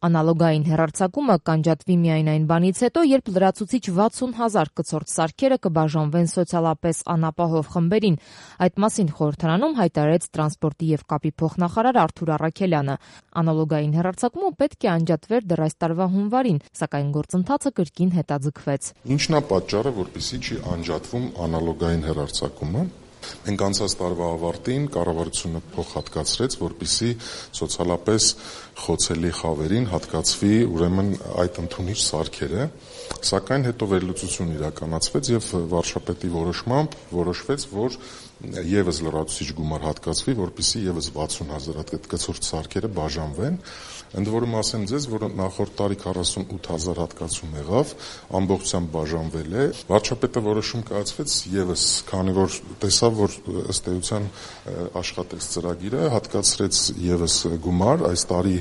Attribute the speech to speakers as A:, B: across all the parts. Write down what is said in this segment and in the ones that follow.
A: Անալոգային հեռարձակումը կանջատվի միայն այն բանից հետո, երբ լրացուցիչ 60,000 կցորդ սարքերը կբաժանվեն սոցիալապես անապահով խմբերին։ Այդ մասին խորհրդարանում հայտարարեց տրանսպորտի և կապի փոխնախարար Արթուր Առաքելյանը։ Անալոգային հեռարձակումը պետք է անջատվեր դեռ այս տարվա հունվարին, սակայն գործընթացը կրկին հետաձգվեց։
B: Ինչն է պատճառը, որպեսզի չի անջատվում անալոգային հեռարձակումը։ Մենք անցած տարվա ավարտին կառավարությունը փոխհատկացրեց, որպեսզի սոցիալապես խոցելի խավերին հատկացվի ուրեմն այդ ընդունիչ սարքերը, սակայն հետո վերլուծություն իրականացվեց եւ վարչապետի որոշմամբ որոշվեց, որ եւս լրացուցիչ գումար հատկացվի, որպեսզի եւս 60,000 հատ կցորդ սարքերը բաժանվեն։ Ընդ որում ասեմ ձեզ, որ նախորդ տարի 48,000 հատկացում եղավ, ամբողջությամբ բաժանվել է։ Վարչապետը որոշում կայացվեց եւս, քանի որ տեսավ, որ ըստ էության աշխատեց ծրագիրը, հատկացրեց եւս գումար։ Այս տարի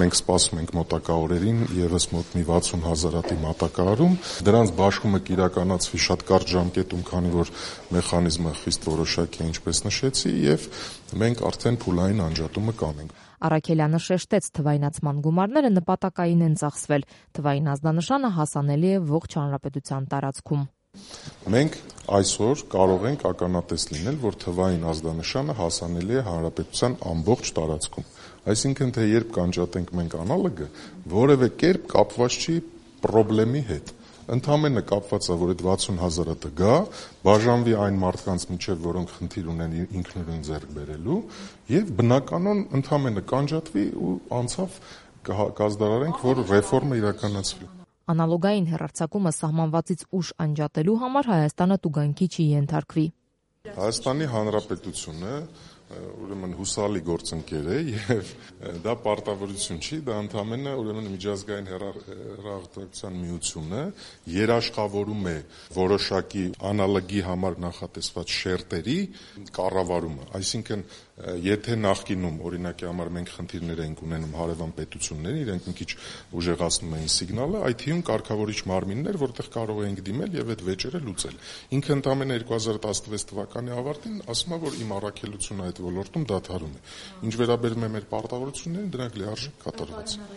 B: մենք սպասում ենք մոտակա օրերին եւս մոտ մի 60,000 հատի մատակարարում։ Դրանց բաշխումը կիրականացվի շատ կարճ ժամկետում, քանի որ մեխանիզմը խիստ որոշակի է, ինչպես նշեցի, եւ մենք արդեն փուլային անջատումը կանենք։
A: Առաքելյանը շեշտեց, թվայնացման գումարները նպատակային են ծախսվել։ Թվային ազդանշանը հասանելի է ողջ հանրապետության տարածքում։
B: Մենք այսօր կարող ենք ականատես լինել, որ թվային ազդանշանը հասանելի է հանրապետության ամբողջ տարածքում։ Այսինքն, թե երբ կանջատենք մենք անալոգը, որևէ կերպ կապված չի պրոբլեմի հետ։ Ընդամենը կապված է, որ այդ 60,000 հատը գա, բաժանվի այն մարդկանց միջև, որոնք խնդիր ունեն ինքնուրույն ձեռք բերելու, եւ բնականon ընդամենը կանջատվի ու անցավ կազդարարենք, որ ռեֆորմը իրականացվի։
A: Անալոգային հեռարձակումը սահմանվածից ուշ անջատելու համար Հայաստանը տուգանքի չի ենթարկվի։
B: Հայաստանի Հանրապետությունը ուրեմն հուսալի գործընկեր է եւ դա պարտավորություն չի, դա ընդամենը ուրեմն միջազգային հեռահաղորդակցության միությունը երաշխավորում է որոշակի անալոգի համար նախատեսված շերտերի կառավարումը, այսինքն եթե նախկինում օրինակի համար մենք խնդիրներ ենք ունենում հարևան պետությունների, իրենք մի քիչ ուժեղացնում էին սիգնալը, այդ թվում կարգավորիչ մարմիններ, որտեղ կարող էինք դիմել եւ այդ վեճերը լուծել։ Ինքը ընդամենը 2016 թվականի ավարտին ասում է, որ իմ առաքելությունը այդ ոլորտում դադարում է։ Ինչ վերաբերում է մեր պարտավորություններին, դրանք լիարժեք կատարված են։